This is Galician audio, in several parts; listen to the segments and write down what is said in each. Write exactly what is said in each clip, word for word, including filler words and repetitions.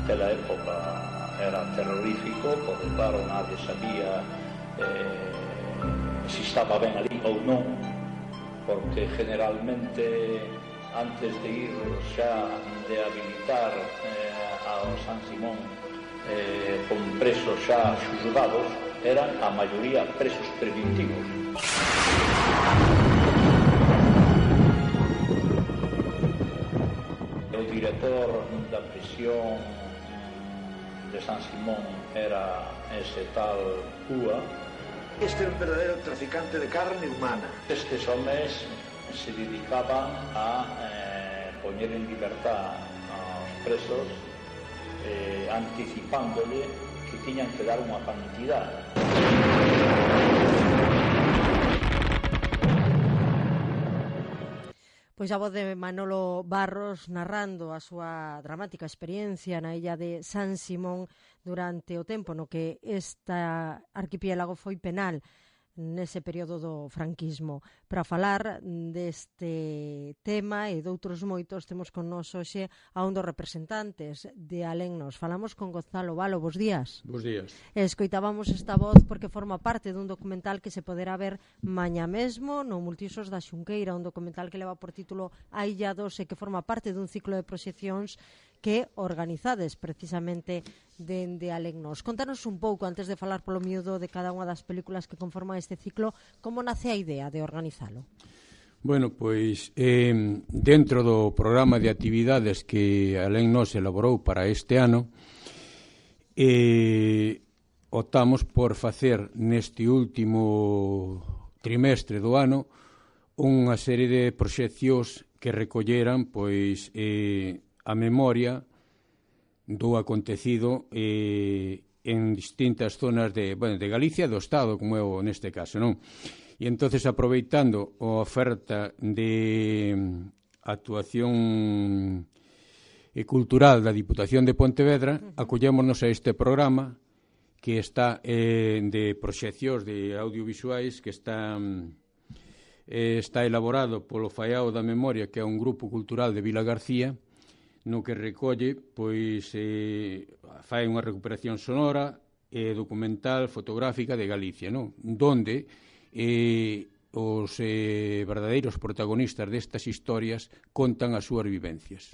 naquela época era terrorífico, porque claro, nadie sabía eh, se estaba ben ali ou non, porque generalmente antes de ir xa de habilitar eh, ao San Simón eh, con presos xa xulgados, eran a maioría presos preventivos. O director da prisión de San Simón era ese tal Cúa. Este é un verdadeiro traficante de carne humana. Estes homes se dedicaban a eh, poñer en libertad aos presos eh, anticipándole que tiñan que dar unha cantidad. Pois a voz de Manolo Barros narrando a súa dramática experiencia na illa de San Simón durante o tempo no que esta arquipiélago foi penal nese período do franquismo. Para falar deste tema e doutros moitos temos con nós hoxe a un dos representantes de Alennos. Falamos con Gonzalo Valo. Bos días. Bos días. Escoitábamos esta voz porque forma parte dun documental que se poderá ver mañá mesmo no Multiusos da Xunqueira, un documental que leva por título Aillados e que forma parte dun ciclo de proxeccións que organizades precisamente dende Alennos. Contanos un pouco, antes de falar polo miúdo de cada unha das películas que conforman este ciclo, como nace a idea de organizalo? Bueno, pois eh, dentro do programa de actividades que Alennos elaborou para este ano, eh, optamos por facer neste último trimestre do ano unha serie de proxeccións que recolleran pois eh, a memoria do acontecido eh, en distintas zonas de, bueno, de Galicia e do Estado, como é o neste caso, non? E entonces, aproveitando a oferta de actuación cultural da Diputación de Pontevedra, acollémonos a este programa que está eh, de proxeccións de audiovisuais que está, eh, está elaborado polo Faiao da Memoria, que é un grupo cultural de Vila García, no que recolle, pois, eh, fai unha recuperación sonora e documental fotográfica de Galicia, non? Donde eh, os eh, verdadeiros protagonistas destas historias contan as súas vivencias.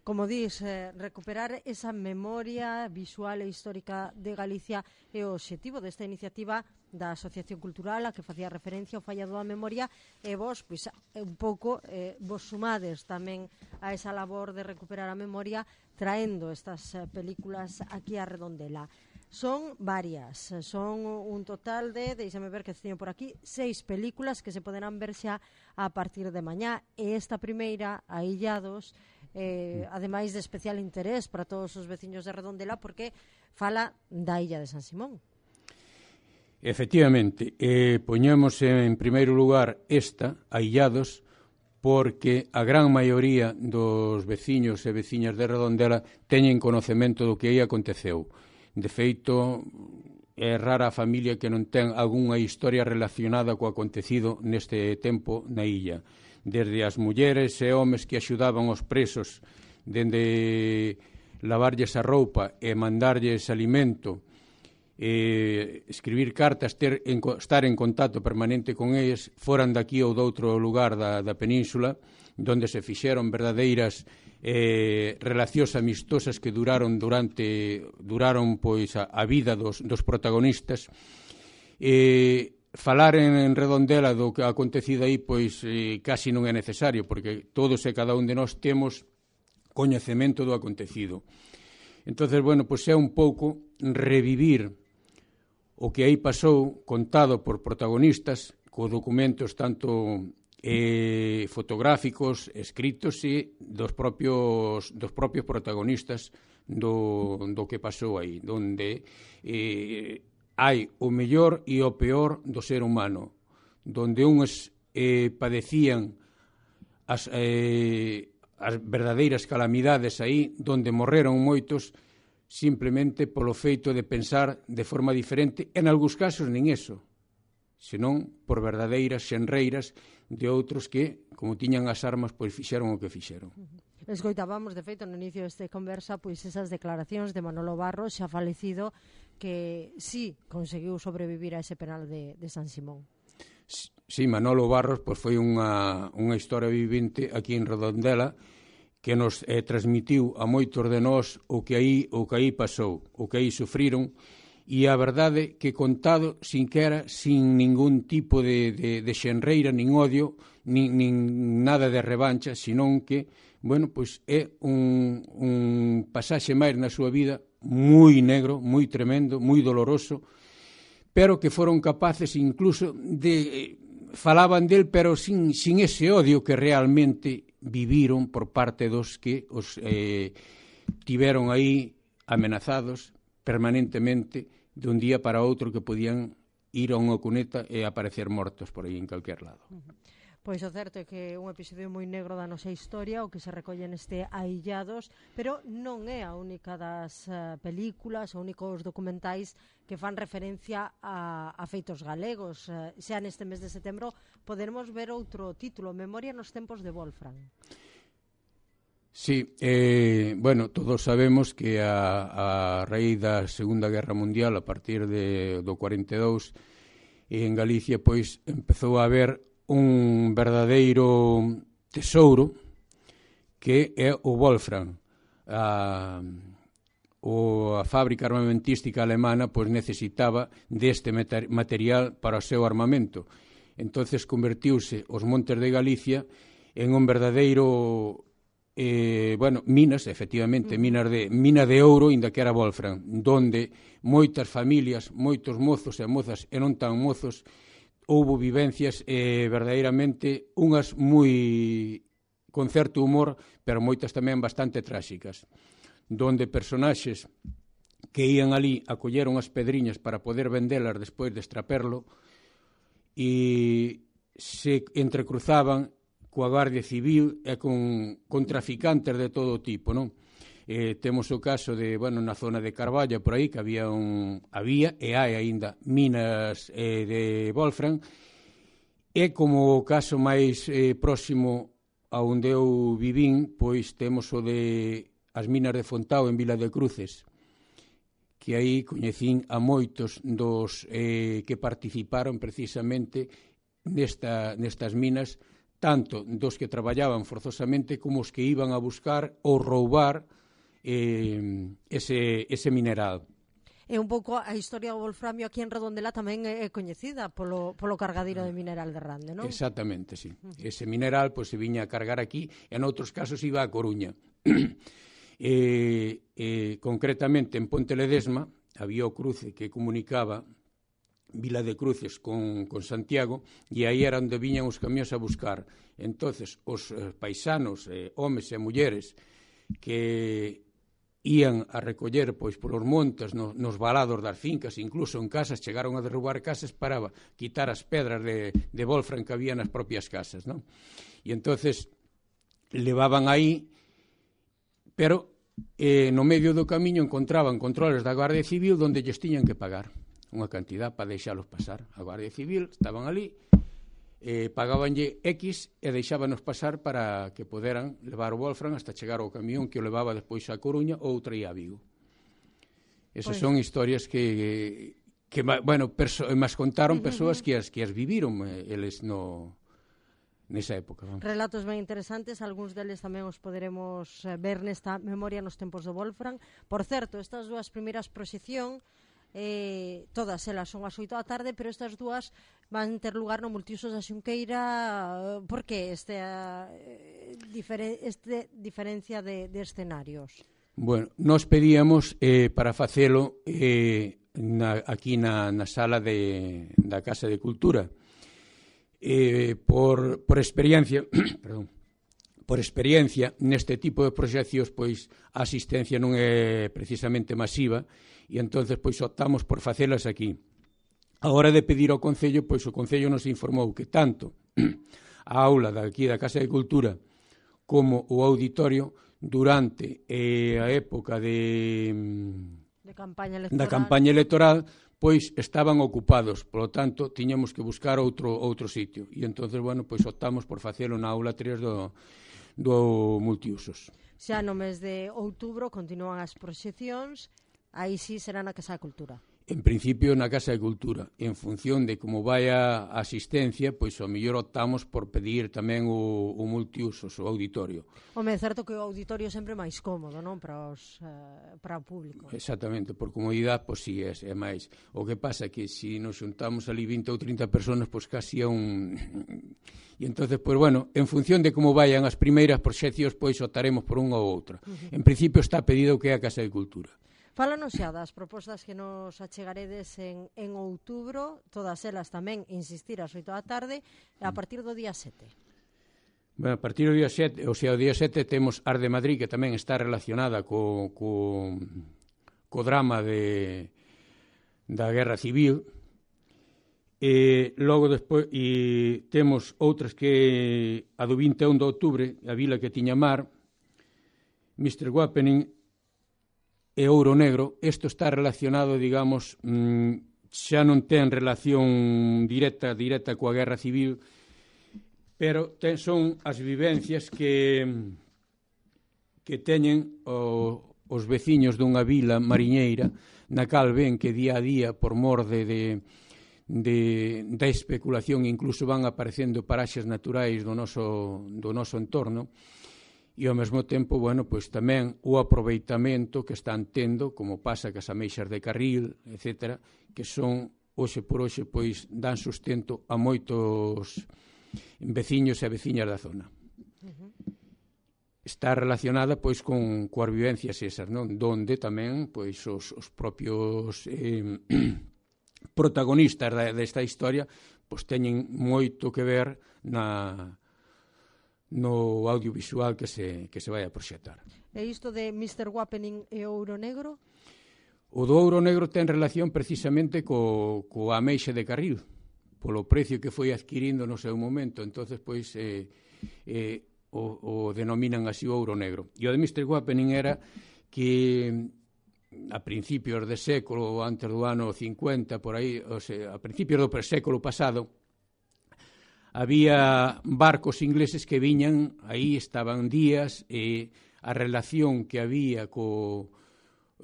Como dis, eh, recuperar esa memoria visual e histórica de Galicia é o obxectivo desta iniciativa da Asociación Cultural a que facía referencia ao Fallado da Memoria, e vos, pois, un pouco eh, vos sumades tamén a esa labor de recuperar a memoria traendo estas eh, películas aquí a Redondela. Son varias, son un total de, deixame ver que teño por aquí, seis películas que se poderán ver xa a partir de mañá, e esta primeira, Aillados, eh, ademais de especial interés para todos os veciños de Redondela porque fala da illa de San Simón. Efectivamente, eh, poñemos en primeiro lugar esta, Aillados, porque a gran maioría dos veciños e veciñas de Redondela teñen conocemento do que aí aconteceu. De feito, é rara a familia que non ten algunha historia relacionada co acontecido neste tempo na illa. Desde as mulleres e homes que axudaban os presos, dende lavarlles a roupa e mandarlles alimento, eh, escribir cartas, ter, en, estar en contacto permanente con eles, foran daqui ou doutro lugar da, da península, donde se fixeron verdadeiras eh, relacións amistosas que duraron durante duraron pois a, a vida dos, dos protagonistas. Eh, falar en, en Redondela do que ha acontecido aí pois eh, casi non é necesario, porque todos e cada un de nós temos coñecemento do acontecido. Entonces, bueno, pois é un pouco revivir o que aí pasou, contado por protagonistas, co documentos tanto eh, fotográficos, escritos e dos propios, dos propios protagonistas do, do que pasou aí, donde eh, hai o mellor e o peor do ser humano, donde uns eh, padecían as, eh, as verdadeiras calamidades aí, donde morreron moitos simplemente polo feito de pensar de forma diferente, en algúns casos nin eso, senón por verdadeiras xenreiras de outros que, como tiñan as armas, pois fixeron o que fixeron. Escoitábamos, de feito, no inicio desta conversa, pois esas declaracións de Manolo Barros, xa falecido, que sí conseguiu sobrevivir a ese penal de, de San Simón. Sí, Manolo Barros pois, foi unha, unha historia vivente aquí en Redondela que nos eh, transmitiu a moitos de nós o que aí, o que aí pasou, o que aí sufriron, e a verdade que contado sin que era, sin ningún tipo de, de, de xenreira, nin odio, nin, nin nada de revancha, senón que, bueno, pois é un, un pasaxe máis na súa vida moi negro, moi tremendo, moi doloroso, pero que foron capaces incluso de... falaban del, pero sin, sin ese odio que realmente viviron por parte dos que os eh, tiveron aí amenazados permanentemente de un día para outro que podían ir a unha cuneta e aparecer mortos por aí en calquer lado. Uh-huh. Pois o certo é que é un episodio moi negro da nosa historia, o que se recolle neste Aillados, pero non é a única das uh, películas, os únicos documentais que fan referencia a, a feitos galegos. Uh, xa neste mes de setembro poderemos ver outro título, Memoria nos tempos de Wolfram. Sí, eh, bueno, todos sabemos que a, a raíz da Segunda Guerra Mundial, a partir de, do cuarenta e dous, en Galicia, pois, empezou a haber un verdadeiro tesouro que é o Wolfram. A, o, a fábrica armamentística alemana pois, necesitaba deste material para o seu armamento. Entonces convertiuse os montes de Galicia en un verdadeiro eh, bueno, minas, efectivamente, minas de, mina de ouro, inda que era Wolfram, donde moitas familias, moitos mozos e mozas e non tan mozos houbo vivencias eh, verdadeiramente unhas moi con certo humor, pero moitas tamén bastante tráxicas, donde personaxes que ían ali a coller unhas pedriñas para poder vendelas despois de extraperlo e se entrecruzaban coa Guardia Civil e con, con traficantes de todo tipo, non? Eh, temos o caso de, bueno, na zona de Carballa, por aí, que había un, había e hai aínda minas eh, de Wolfram, e como o caso máis eh, próximo a onde eu vivín, pois temos o de as minas de Fontao en Vila de Cruces, que aí coñecín a moitos dos eh, que participaron precisamente nesta, nestas minas, tanto dos que traballaban forzosamente como os que iban a buscar ou roubar Eh, ese, ese mineral. E un pouco a historia do wolframio aquí en Redondela tamén é coñecida polo, polo cargadiro de mineral de Rande, non? Exactamente, sí. Uh-huh. Ese mineral pois, se viña a cargar aquí e en outros casos iba a Coruña. eh, eh, concretamente en Ponte Ledesma había o cruce que comunicaba Vila de Cruces con, con Santiago e aí era onde viñan os camións a buscar. Entonces os eh, paisanos, eh, homes e mulleres que ían a recoller pois polos montes, no, nos valados das fincas, incluso en casas, chegaron a derrubar casas para quitar as pedras de, de Wolfram que había nas propias casas, non? E entonces levaban aí, pero eh, no medio do camiño encontraban controles da Guardia Civil donde lles tiñan que pagar unha cantidad para deixalos pasar. A Guardia Civil estaban ali, eh, pagabanlle X e deixábanos pasar para que poderan levar o Wolfram hasta chegar ao camión que o levaba despois a Coruña ou traía a Vigo. Esas pues... son historias que, que bueno, perso mas contaron persoas que as, que as viviron eh, eles no nesa época. Vamos. Relatos ben interesantes, algúns deles tamén os poderemos ver nesta Memoria nos tempos do Wolfram. Por certo, estas dúas primeiras proxección Eh, todas elas son as oito da tarde, pero estas dúas van ter lugar no Multiusos da Xunqueira. Por que este, eh, difere, este diferencia de, de escenarios? Bueno, nos pedíamos eh, para facelo eh, na, aquí na, na sala de, da Casa de Cultura eh, por, por experiencia perdón, por experiencia neste tipo de proxeccións pois a asistencia non é precisamente masiva e entonces pois optamos por facelas aquí. A hora de pedir ao Concello, pois o Concello nos informou que tanto a aula daqui da Casa de Cultura como o auditorio durante eh, a época de, de campaña electoral. da campaña electoral pois estaban ocupados, polo tanto tiñamos que buscar outro outro sitio e entonces bueno, pois optamos por facelo na aula tres do do multiusos. Xa no mes de outubro continúan as proxeccións, aí sí será na Casa de Cultura. En principio na Casa de Cultura. En función de como vai a asistencia, pois ao mellor optamos por pedir tamén o, o multiusos, o auditorio. Home, é certo que o auditorio é sempre máis cómodo, non? Para, os, uh, para o público. Exactamente, por comodidade, pois si é, é máis. O que pasa é que se nos xuntamos ali vinte ou trinta personas, pois casi é un... E entonces, pois bueno, en función de como vayan as primeiras proxeccións, pois optaremos por unha ou outra. Uh-huh. En principio está pedido que é a Casa de Cultura. Fálanos xa das propostas que nos achegaredes en, en outubro, todas elas tamén, insistir, ás oito da tarde, a partir do día sete. Bueno, a partir do día sete, ou sea, o día sete temos Ars de Madrid, que tamén está relacionada co, co, co drama de, da Guerra Civil, e logo despois e temos outras que a do vinte e un de outubro, a Vila que tiña mar, mister Wappening, e Ouro Negro. Isto está relacionado, digamos, xa non ten relación directa directa coa Guerra Civil, pero ten, son as vivencias que que teñen o, os veciños dunha vila mariñeira na cal ven que día a día, por mor de, de, de, da especulación, incluso van aparecendo paraxes naturais do noso, do noso entorno, e ao mesmo tempo, bueno, pois tamén o aproveitamento que están tendo, como pasa cas ameixas de carril, etcétera, que son, hoxe por hoxe, pois dan sustento a moitos veciños e veciñas da zona. Uh-huh. Está relacionada, pois, con coas vivencias esas, non? Donde tamén, pois, os, os propios eh, protagonistas da, desta historia, pois, teñen moito que ver na... no audiovisual que se, que se vai a proxectar. E isto de mister Wappening e Ouro Negro? O do Ouro Negro ten relación precisamente co, co ameixe de carril, polo precio que foi adquirindo no seu momento. Entonces, pois, eh, eh, o, o denominan así o Ouro Negro. E o de mister Wappening era que a principios de século, antes do ano cincuenta, por aí, o sea, a principios do século pasado, había barcos ingleses que viñan, aí estaban días, e a relación que había co,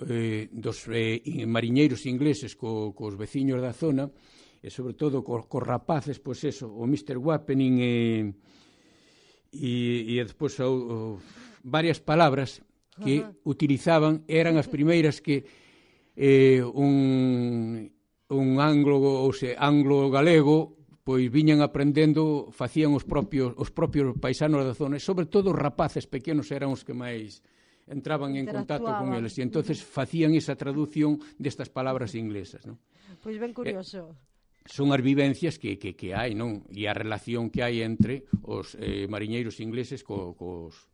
eh, dos eh, mariñeiros ingleses co, cos veciños da zona, e sobre todo cos, cos rapaces, pois eso, o mister Wappening e, e, e despois o, o, varias palabras que uh-huh. utilizaban, eran as primeiras que eh, un, un anglo, ou se, anglo-galego, pois viñan aprendendo, facían os propios os propios paisanos da zona, e sobre todo os rapaces pequenos eran os que máis entraban en contacto con eles, e entonces facían esa traducción destas palabras inglesas, non? Pois ben curioso. Eh, son as vivencias que, que, que hai, non? E a relación que hai entre os eh, mariñeiros ingleses co, cos,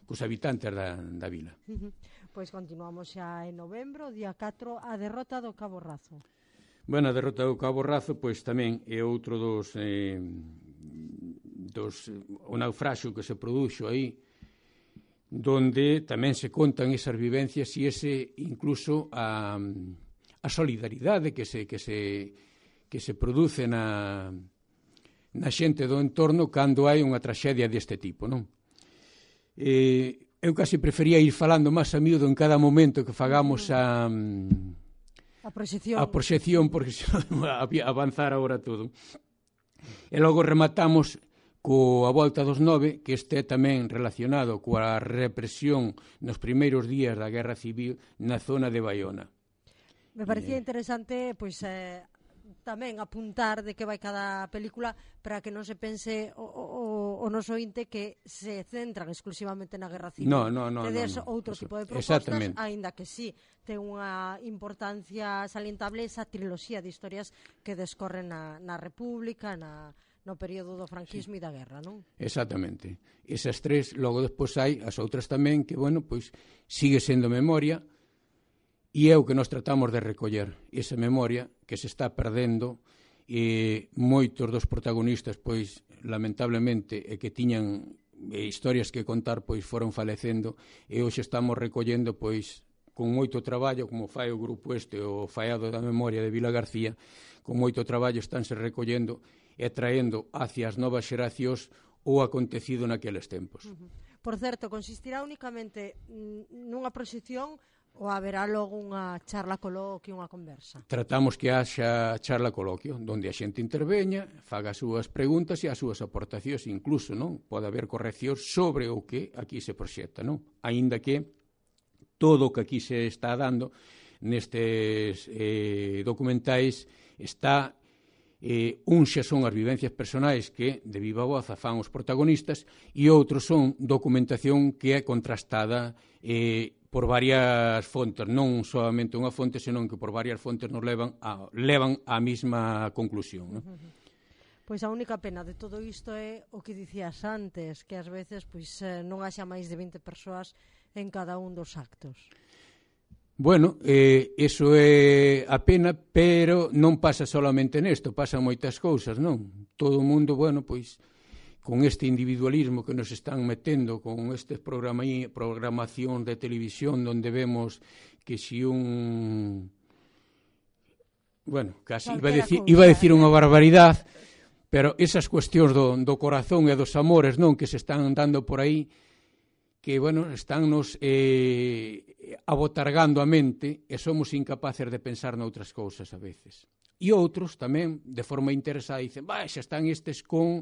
cos habitantes da, da vila. Uh-huh. Pois continuamos xa en novembro, día catro, a derrota do Cabo Razo. Bueno, a derrota do Cabo Razo, pois tamén é outro dos, eh, dos o naufraxio que se produxo aí, donde tamén se contan esas vivencias e ese incluso a, a solidaridade que se que se que se produce na na xente do entorno cando hai unha traxedia deste tipo, non? Eh, eu casi prefería ir falando máis a miúdo en cada momento que fagamos a A proxección. A proxección, porque se avanzar agora todo. E logo rematamos coa volta dos nove, que este é tamén relacionado coa represión nos primeiros días da Guerra Civil na zona de Baiona. Me parecía eh... interesante, pois, eh, tamén apuntar de que vai cada película para que non se pense o, o, o noso ointe que se centran exclusivamente na Guerra Civil. No, no, no. Tedes no, no. outro Eso, tipo de propostas, aínda que sí, ten unha importancia salientable esa triloxía de historias que descorren na, na República, na, no período do franquismo sí. E da guerra, non? Exactamente. Esas tres, logo despois hai as outras tamén, que, bueno, pois sigue sendo memoria, e é o que nos tratamos de recoller, esa memoria que se está perdendo, e moitos dos protagonistas, pois, lamentablemente, e que tiñan e historias que contar, pois, foron falecendo, e hoxe estamos recollendo, pois, con moito traballo, como fai o grupo este, o Faiado da Memoria de Vila García, con moito traballo estánse recollendo e traendo hacia as novas xeracións o acontecido naqueles tempos. Uh-huh. Por certo, consistirá únicamente nunha proxección ou haberá logo unha charla coloquio, unha conversa? Tratamos que haxa charla coloquio, onde a xente interveña, faga as súas preguntas e as súas aportacións, incluso, non? Pode haber correccións sobre o que aquí se proxecta, non? Aínda que todo o que aquí se está dando nestes eh, documentais está... Eh, uns xa son as vivencias personais que de viva voz afán os protagonistas e outros son documentación que é contrastada eh, por varias fontes, non solamente unha fonte, senón que por varias fontes nos levan a, levan á mesma conclusión, non? Pois a única pena de todo isto é o que dicías antes, que ás veces pois non haxa máis de vinte persoas en cada un dos actos. Bueno, eh, eso é a pena, pero non pasa solamente nesto, pasan moitas cousas, non? Todo o mundo, bueno, pois, con este individualismo que nos están metendo, con estes programación de televisión donde vemos que si un... Bueno, casi iba a, decir, iba a decir unha barbaridade, pero esas cuestións do, do corazón e dos amores, non, que se están dando por aí, que, bueno, estánnos eh, abotargando a mente e somos incapaces de pensar noutras cousas a veces. E outros tamén, de forma interesada, dicen, vai, xa están estes con,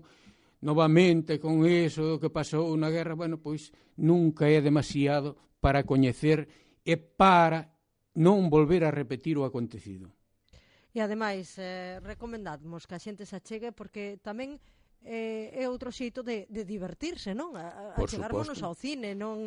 novamente, con eso que pasou na guerra. Bueno, pois, nunca é demasiado para coñecer e para non volver a repetir o acontecido. E, ademais, eh, recomendamos que a xente se achegue porque tamén Eh, é outro xeito de, de divertirse, non? A, a chegarnos ao cine, non,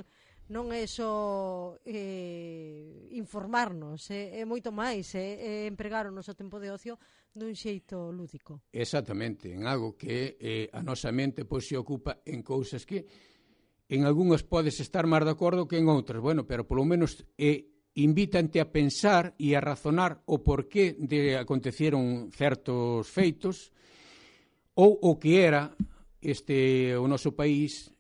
non é só eh, informarnos, é, é moito máis, é, é empregar o noso tempo de ocio dun xeito lúdico. Exactamente, en algo que eh, a nosa mente pois, se ocupa en cousas que en algunhas podes estar máis de acordo que en outras, bueno, pero polo menos eh, invítante a pensar e a razonar o porqué de aconteceron certos feitos ou o que era este o noso país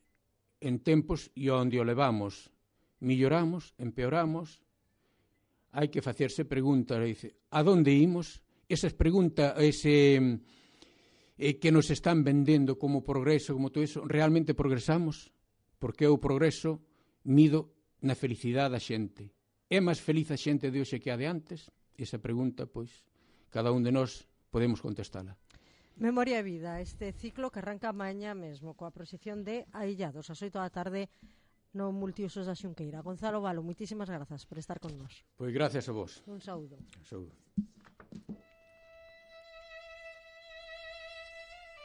en tempos e onde o levamos. Milloramos, empeoramos, hai que facerse preguntas, dice, a donde imos? Esas preguntas, ese eh, que nos están vendendo como progreso, como todo eso, realmente progresamos? Porque o progreso mido na felicidade da xente. É máis feliz a xente de hoxe que a de antes? Esa pregunta, pois, cada un de nós podemos contestala. Memoria e Vida, este ciclo que arranca mañá mesmo coa proxección de Aillados, ás oito da tarde no Multiusos da Xunqueira. Gonzalo Valo, moitísimas grazas por estar con nós. Pois gracias a vos. Un saúdo. Saúdo.